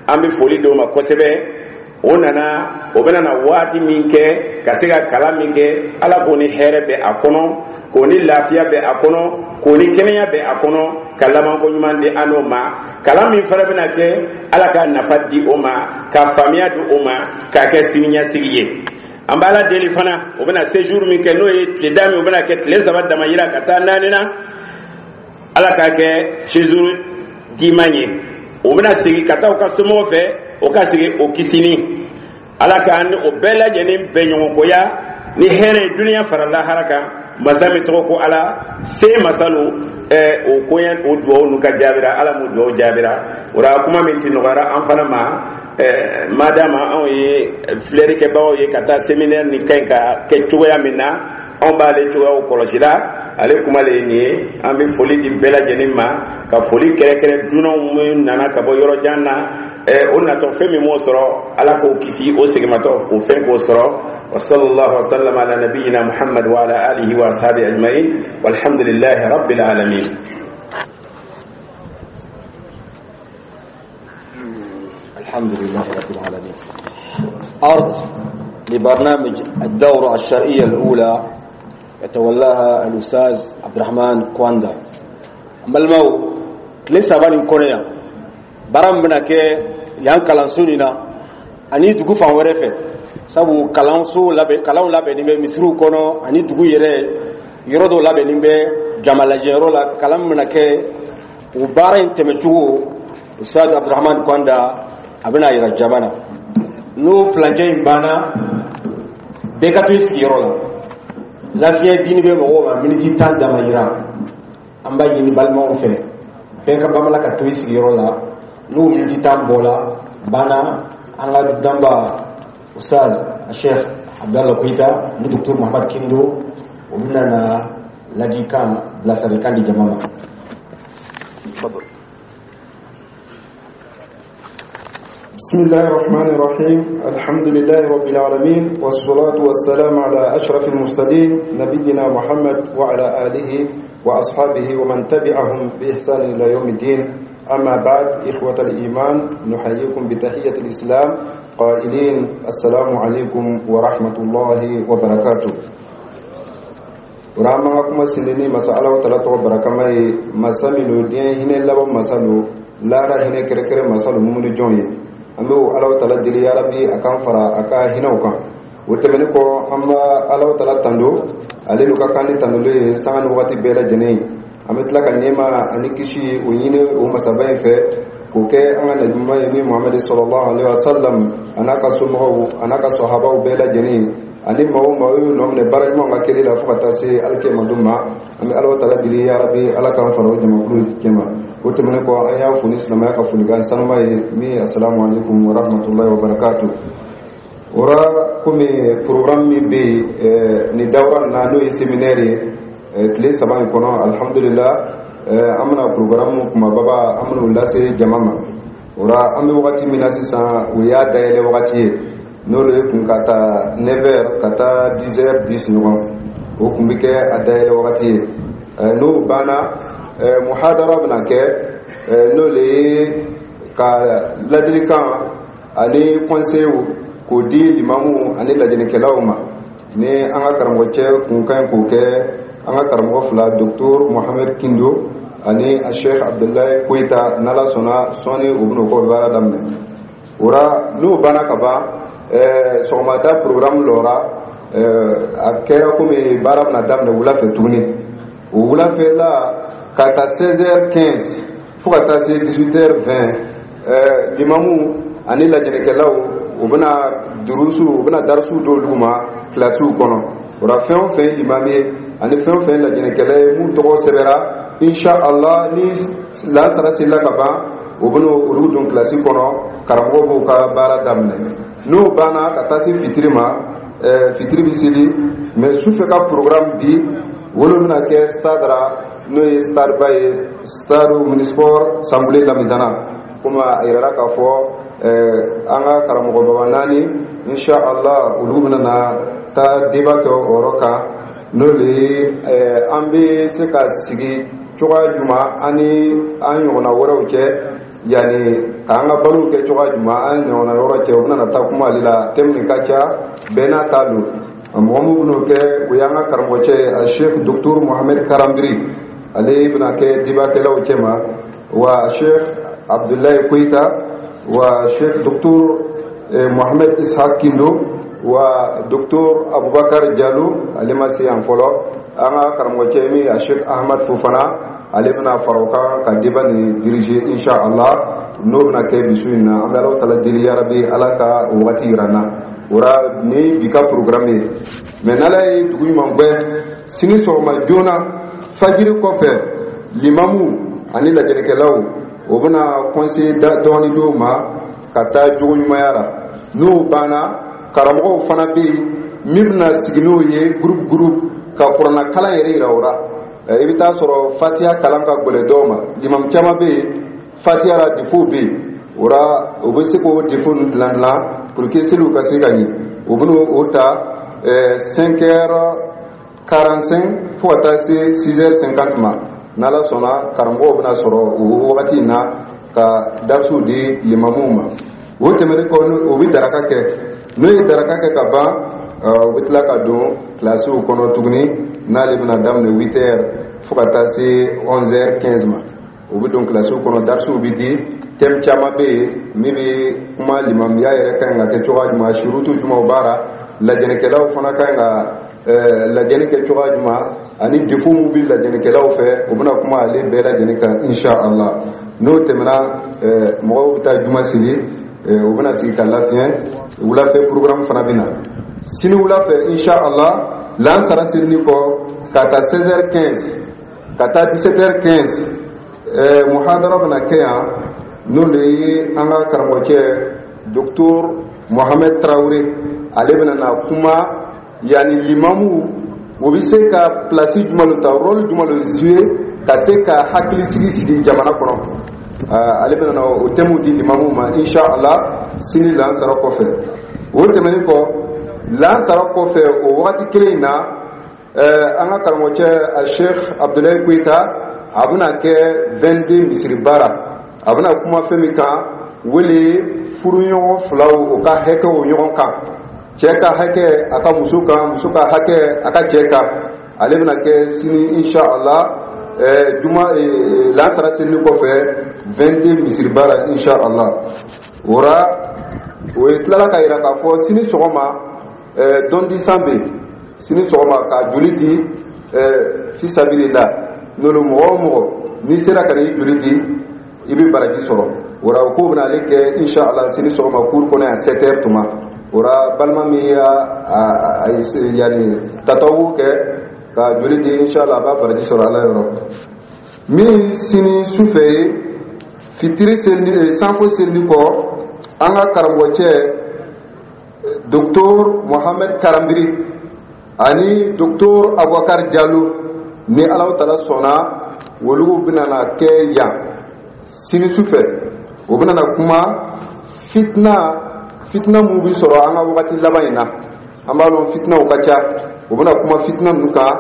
an bɛ foli d'o ma kosɛbɛ. O nana, o bɛna na waati min kɛ ka se ka kalan min kɛ, Ala k'o ni hɛrɛ bɛ a kɔnɔ, k'o ni lafiya bɛ a kɔnɔ, k'o ni kɛnɛya bɛ a kɔnɔ, ka labanko ɲuman di an n'o ma. Kalan min fana bɛna kɛ, Ala ka nafa di o ma, ka faamuya di o ma, k'a kɛ siniɲɛsigi ye. An b'Ala deli fana, o bɛna séjour min kɛ, n'o ye tile da min, o bɛna kɛ tile 3 dama yira ka taa 4 na, Ala k'a kɛ séjour diman ye. O bɛna segin ka taa u ka somɔgɔw fɛ, o ka segin o kisini. Ala k'an ni o bɛɛ lajɛlen bɛn ɲɔgɔnkoya ni hɛrɛ ye duniya fara lahara kan. Masa min tɔgɔ ko Ala se masalu, o koɲɛ, o duwawu nu ka jaabira, Ala m'o duwawu jaabira. O la, kuma min ti nɔgɔyara an fana ma, madama anw ye filɛlikɛbagaw ye ka taa séminaire nin ka ɲi ka kɛ cogoya min na, anw b'ale cogoyaw kɔlɔsi la. Ale kuma le ye nin ye. An bɛ foli di bɛɛ lajɛlen ma, ka foli kɛrɛkɛrɛ dunanw minnu nana ka bɔ yɔrɔ jan na. O natɔ, fɛn min m'o sɔrɔ, Ala k'o kisi, o segimatɔ o fɛn k'o sɔrɔ. Wa sallallahu wa sallam ala nabiyyina Muhammad wa ala alihi wa ashabi ajma'in, walhamdulillahi rabbil alamin. الحمد لله رب العالمين. أرض لبرنامج الدورة الشرعية الأولى يتولاها الأستاذ عبد الرحمن كواندا. Balimaw, tile 3 nin kɔnɔ yan, baara min bɛna kɛ yan kalanso nin na ani dugu fan wɛrɛ fɛ, sabu kalanso labɛn, kalanw labɛnni bɛ misiriw kɔnɔ ani dugu yɛrɛ yɔrɔ dɔw labɛnni bɛ jamalajɛyɔrɔ la, kalan min bɛna kɛ, o baara in tɛmɛcogo, Ustaz Abdurahman Kwanda a bɛna yira jama na. N'o filancɛ in banna, bɛɛ ka to i sigiyɔrɔ la. Lafiya dini bɛ mɔgɔw ma miniti 10 dama yira. An b'a ɲini balimaw fɛ, bɛɛ ka bamala ka to i sigiyɔrɔ la. N'o miniti 10 bɔla banna, an ka danba Ustaz Sheikh Abdallah Koita ni Docteur Muhammad Kindo, o bɛna na ladikan, bilasiralikan di jama ma. تفضل. بسم الله الرحمن الرحيم. الحمد لله رب العالمين، والصلاة والسلام على أشرف المرسلين، نبينا محمد وعلى آله وأصحابه ومن تبعهم بإحسان إلى يوم الدين. أما بعد، إخوة الإيمان، نحييكم بتحية الإسلام قائلين: السلام عليكم ورحمة الله وبركاته. Rama kuma sinini masa Ala wa tala tɔgɔ barakama ye, masa min do diɲɛ hinɛ laban masa lo, lara hinɛ kɛrɛkɛrɛ masa lo, mumuni jɔn ye. An bɛ o Ala wa tala deli, yarabi, a k'an fara a ka hinɛw kan. O tɛmɛnen kɔ, an b'a Ala wa tala tando, ale n'u ka kan ni tandolo ye sanga ni wagati bɛɛ lajɛlen ye. An bɛ tila ka nɛɛma ani kisi o ɲini o masaba in fɛ, k'o kɛ an ka nabiɲuman ye, min Muhamadu sallallahu alaihi wa sallam, a n'a ka somɔgɔw, a n'a ka sɔhabaw bɛɛ lajɛlen, ani maa o maa y'u nɔ minɛ baara ɲuman ka kɛli la fo ka taa se alikiyama don ma. An bɛ Ala tala deli, yarabi, Ala k'an fara o jamakulu cɛma. O tɛmɛnen kɔ, an y'a fo ni silamɛya ka folikan sanuma ye, min ye asalamu alaikum wa rahmatulahi wa barakatu. O ra, komi programme min bɛ yen nin dawura na, n'o ye séminaire ye tile 3 in kɔnɔ, alhamdulillah, an bɛna programme kumababa, an bɛn'o lase jama ma. O ra, an bɛ wagati min na sisan, o y'a dayɛlɛ wagati ye, n'o de kun ka taa 9 heures ka taa 10 heures 10 ɲɔgɔn, o kun bɛ kɛ a dayɛlɛ wagati ye. N'o banna, muhadara bɛna kɛ, n'o de ye ka ladilikan ani conseil k'o di limamu ani lajɛlikɛlaw ma, ni an ka karamɔgɔcɛ kun ka ɲi k'o kɛ, an ka karamɔgɔ fila, Docteur Mohamed Kindo ani a Sheikh Abdullahi Koyita. N'Ala sɔnna, sɔɔni u bɛn'o kɔ baara daminɛ. O ra, n'o banna ka ban, sɔgɔmada programme lɔra, a kɛra komi baara bɛna daminɛ wula fɛ tuguni. O wulafɛla, ka ta 16h15 fo ka taa se 18h20, limamu ani lajɛnɛkɛlaw, u bɛna durusu, u bɛna darisuw d'olu ma kilasiw kɔnɔ. O la, fɛn o fɛn ye limami ye ani fɛn o fɛn ye lajɛnɛkɛla ye, mun tɔgɔ sɛbɛra, insha Allah, ni lansara selila ka ban, u bɛna olu don kilasi kɔnɔ. Karamɔgɔ b'u ka baara daminɛ. N'o banna, ka taa se fitiri ma, fitiri bɛ seli. Mais sufɛ ka programme bi, wolo bɛna kɛ stade ra, n'o ye stade ba ye, stade omnisport Sanbule Lamizana. Komi a yirala k'a fɔ an ka karamɔgɔ baba naani, insha Allah, olu bɛna na taa débat kɛ o yɔrɔ kan, n'o de ye an bɛ se ka sigi cogoya jumɛn an ni an ɲɔgɔnna wɛrɛw cɛ, yanni k'an ka balow kɛ cogoya jumɛn an ɲɔgɔnna yɔrɔ cɛ. U bɛna taa kuma ale la. Thème nin ka ca, bɛɛ n'a ta don. Mɔgɔ min bɛn'o kɛ, o y'an ka karamɔgɔcɛ ye, a Sheikh Docteur Mohamed Karambiri. Ale bɛna kɛ débatkɛlaw cɛ ma, wa Sheikh Abdoulaye Koyita, wa Sheikh Docteur Mohamed Ishaq Kindo, wa Docteur Abubakar Jalo. Ale ma se yan fɔlɔ. An ka karamɔgɔcɛ min, a Sheikh Ahmad Fofana, ale bɛna fara o kan ka débat nin diriger, insha Allah. N'o bɛna kɛ bisu in na. An bɛ Ala tala deli, yarabi, Ala ka o wagati yira n na. O la, ni bi ka programme ye. Mais n'Ala ye dugu ɲuman gbɛ, sini sɔgɔma joona, fajiri kɔfɛ, limamu ani lajɛlikɛlaw, o bɛna conseil dɔɔni d'o ma ka taa jogo ɲumanya la. N'o banna, karamɔgɔw fana bɛ yen min bɛna sigi n'o ye groupe groupe ka kuranna kalan yɛrɛ yira o la. I bɛ taa sɔrɔ fatiya kalan ka gɛlɛn dɔw ma. Limamu caman bɛ yen, fatiya la défaut bɛ yen. O la, o bɛ se k'o défaut ninnu dilan dilan pour que seliw ka se ka ɲɛ. O bɛna o ta 5h45 fo ka taa se 6h50 ma. N'Ala sɔnna, karamɔgɔw bɛna sɔrɔ o wagati in na ka darisiw di limamuw ma. O tɛmɛnen kɔ, o bɛ daraka kɛ. N'o ye daraka kɛ ka ban, u bɛ tila ka don kilasiw kɔnɔ tuguni. N'ale bɛna daminɛ 8 heures fo ka taa se 11h15 ma, u bɛ don kilasiw kɔnɔ, darisiw bɛ di. Thème caman bɛ yen min bɛ kuma limamiya yɛrɛ ka ɲi ka kɛ cogoya jumɛn, surutu jumɛnw b'a la, lajɛlikɛlaw fana ka ɲi ka lajɛli kɛ cogoya jumɛn, ani défaut min bɛ lajɛlikɛlaw fɛ, u bɛna kuma ale bɛɛ lajɛlen kan, insha Allah. N'o tɛmɛna, mɔgɔw bɛ taa juma seli, u bɛna sigi ka lafiɲɛ. Wulafɛ programme fana bɛ na sini wulafɛ, insha Allah. Lansara selini kɔ, ka taa 16h15 ka taa 17h15, muhadara bɛna kɛ yan. N'o de ye an ka karamɔgɔcɛ Docteur Mohamed Traoré, ale bɛna na kuma yanni limamu, o bɛ se ka place jumɛn ta, rôle jumɛn le jouer ka se ka hakilisigi sigi jamana kɔnɔ. Ale bɛna na o thème di limamu ma, insha Allah, sini lansara kɔfɛ. O tɛmɛnen kɔ, lansara kɔfɛ, o wagati kelen in na, an ka karamɔgɔcɛ a Sheikh Abdoulaye Koyita, a bɛna kɛ 22 misiri baara. A bɛna kuma fɛn min kan, wele furuɲɔgɔn filaw, o ka hakɛw ɲɔgɔn kan, cɛ ka hakɛ a ka muso kan, muso ka hakɛ a ka cɛ kan. Ale bɛna kɛ sini, insha Allah, juma lansara selini kɔfɛ, 22 misiri baara, insha Allah. O la, o ye tilala ka yira k'a fɔ sini sɔgɔma, don di san bɛ yen sini sɔgɔma ka joli di fisabilila. N'olu mɔgɔ o mɔgɔ n'i sera ka n'i joli di, i bɛ baraji sɔrɔ. O la, o ko bɛna ale kɛ, insha Allah, sini sɔgɔma cour kɔnɔ yan, 7 heures tuma. O la, balima min y'a yanni tatawu kɛ ka joli di, insha Allah, a b'a baraji sɔrɔ Ala yɔrɔ min. Sini sufɛ ye fitiri seli, sanfo selini kɔ, an ka karamɔgɔcɛ Docteur Mohamed Karambiri ani Docteur Abubakar Jalo, ni Ala tala sɔnna, olu bɛna na kɛ yan sini sufɛ. O bɛna na kuma fitina, fitina mun bɛ sɔrɔ an ka wagati laban in na. An b'a dɔn fitinaw ka ca. O bɛna kuma fitina ninnu kan,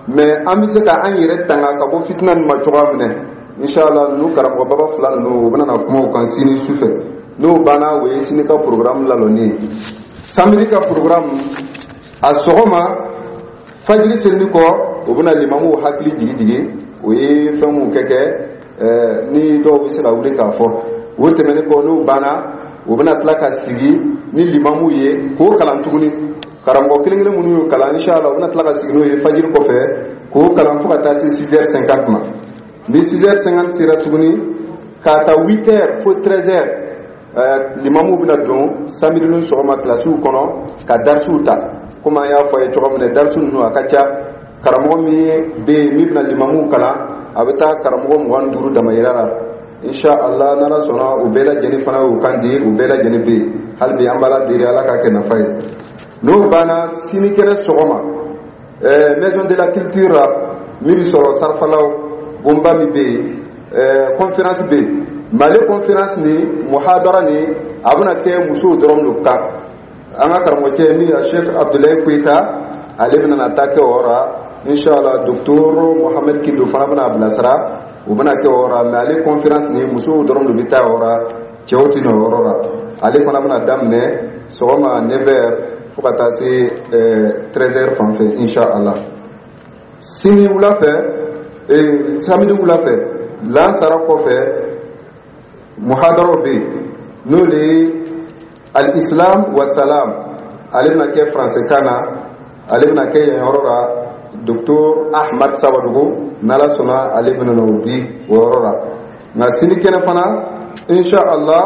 mais an bɛ se ka an yɛrɛ tanga ka bɔ fitina ninnu ma cogoya min na, inshallah. Ninnu karamɔgɔ baba fila ninnu, o bɛna na kuma o kan sini sufɛ. N'o banna, o ye sini ka programme lalɔnni ye. Samedi ka programme, a sɔgɔma, fajiri selini kɔ, o bɛna limamuw hakili jigi jigi, o ye fɛn mun kɛ ni dɔw bɛ se ka wuli k'a fɔ. O tɛmɛnen kɔ, n'o banna, o bɛna tila ka sigi ni limamuw ye k'o kalan tuguni. Karamɔgɔ kelen kelen minnu y'o kalan, inshallah, u bɛna tila ka sigi n'o ye fajiri kɔfɛ k'o kalan fo ka taa se 6h50 ma. Ni 6h50 sera tuguni, k'a ta 8h fo 13h, limamuw bɛna don samedi ni sɔgɔma kilasiw kɔnɔ ka darisiw ta. Komi an y'a fɔ a ye cogo min na, darisi ninnu a ka ca. Karamɔgɔ min bɛ yen min bɛna limamuw kalan, a bɛ taa karamɔgɔ 25 damayira la, insha Allah. N'Ala sɔnna, u bɛɛ lajɛlen fana y'u kan di, u bɛɛ lajɛlen bɛ yen hali bi. An b'Ala deli, Ala k'a kɛ nafa ye. N'o banna, sinikɛnɛ sɔgɔma, Maison de la Culture la min bɛ sɔrɔ Sarafalaw bonba min bɛ yen, conférence bɛ yen. Mali conférence ni muhadara ni, a bɛna kɛ musow dɔrɔn de kan. An ka karamɔgɔcɛ min ye Sheikh Abdoulaye Koyita, ale bɛna na taa kɛ o yɔrɔ la, inshallah. Docteur Mohamed Kindo fana bɛna a bilasira, o bɛna kɛ o yɔrɔ la. Mais ale conférence ni, musow dɔrɔn de bɛ taa o yɔrɔ la, cɛw tɛ na o yɔrɔ la. Ale fana bɛna daminɛ sɔgɔma 9h fo ka taa se 13h fan fɛ, inshallah. Sini wula fɛ, samedi wula fɛ, lansara kɔfɛ, muhadaraw bɛ yen, n'o de ye al-Islam wa salam. Ale bɛna kɛ faransɛkan na, ale bɛna kɛ yen yɔrɔ la. Docteur Ahmad Sawadogo, n'Ala sɔnna, ale bɛna n'o di o yɔrɔ la. Nka sini kɛnɛ fana, insha Allah,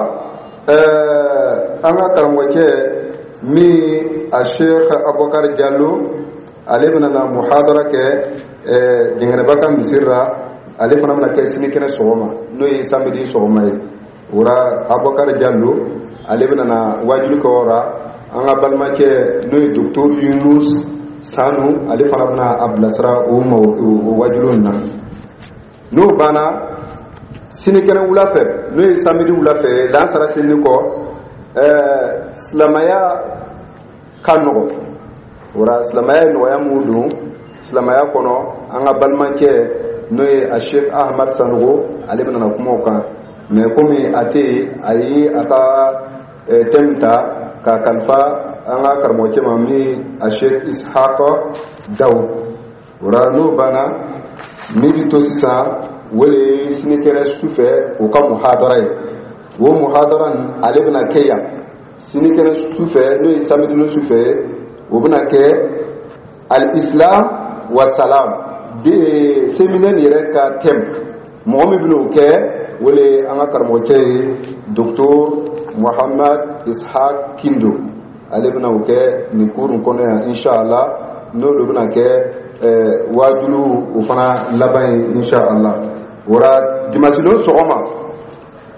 an ka karamɔgɔcɛ min a Sheikh Abubakar Jalo, ale bɛna na muhadara kɛ Jɛngɛnɛba ka misiri la. Ale fana bɛna kɛ sini kɛnɛ sɔgɔma, n'o ye samedi sɔgɔma ye. O la, Abubakar Jalo, ale bɛna na wajulu kɛ o la. An ka balimacɛ n'o ye docteur Yunus Sanu, ale fana bɛna a bilasira o ma o wajulu in na. N'o banna, sinikɛnɛ wula fɛ, n'o ye samedi wula fɛ, lansara selini kɔ, silamɛya ka nɔgɔ. O la, silamɛya ye nɔgɔya mun don silamɛya kɔnɔ, an ka balimacɛ n'o ye a Sheikh Ahmad Sanogo, ale bɛna na kuma o kan. Mais komi a tɛ yen, a ye a ka thème ta k'a kalifa an ka karamɔgɔcɛ ma min a Sheikh Ishaq Daw. O la, n'o banna, min bɛ to sisan, o de ye sinikɛnɛ sufɛ o ka muhadara ye. O muhadara nin, ale bɛna kɛ yan sinikɛnɛ sufɛ, n'o ye samedi ni sufɛ. O bɛna kɛ al-Islam wa salam de, séminaire yɛrɛ ka thème. Mɔgɔ min bɛna o kɛ, o de ye an ka karamɔgɔcɛ ye, docteur Muhammad Ishaq Kindo. Ale bɛna o kɛ nin cours in kɔnɔ yan, inshallah. N'o de bɛna kɛ waajulu o fana laban ye, inshallah. O la, dimanche don sɔgɔma,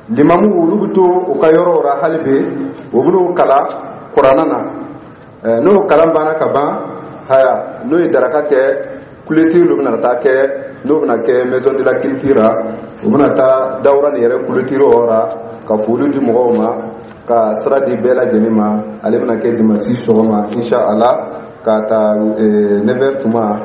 limamu olu bɛ to u ka yɔrɔw la hali bi, o bɛn'o kalan kuranna na. N'o kalan banna ka ban, haya, n'o ye daraka kɛ, clôture de bɛna taa kɛ. N'o bɛna kɛ Maison de la Culture la, u bɛna taa dawura nin yɛrɛ clôture yɔrɔ la ka foli di mɔgɔw ma, ka sira di bɛɛ lajɛlen ma. Ale bɛna kɛ dimanche sɔgɔma, inshallah, k'a ta 9h tuma,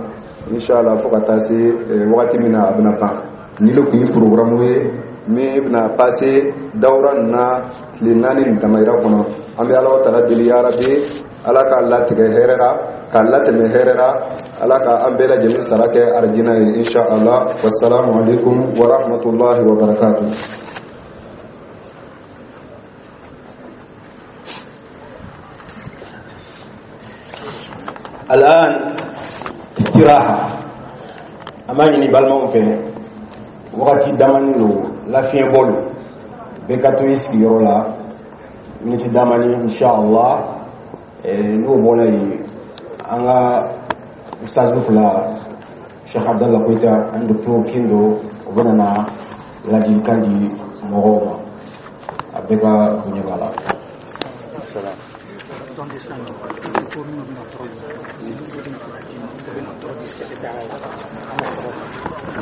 inshallah, fo ka taa se wagati min na a bɛna ban. Ni le tun ye programme ye min bɛna passer dawura nin na tile 4 nin damayira kɔnɔ. An bɛ Ala taala deli, yarabi, Ala k'a latigɛ hɛrɛ la, k'a latɛmɛ hɛrɛ la, Ala ka an bɛɛ lajɛlen sara kɛ arijinɛ ye, inshallah. Wassalamu alaikum wa rahmatullahi wa barakatuh. الآن استراحة. An b'a ɲini balimaw fɛ, wagati damani lo, lafiɲɛ bɔ lo, bɛɛ ka to i sigiyɔrɔ la miniti damani, inshallah. N'o bɔra yen, an ka ustazu fila, Sheikh Abdallah Koita ani docteur Kindo, o bɛna na ladilikan di mɔgɔw ma. A bɛɛ ka bonya b'a la.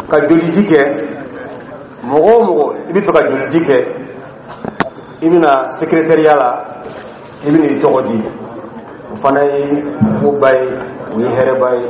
Ka joliji kɛ, mɔgɔ o mɔgɔ i bɛ fɛ ka joliji kɛ, i bɛna secrétariat la, i bɛna i tɔgɔ di. O fana ye koba ye, o ye hɛrɛba ye.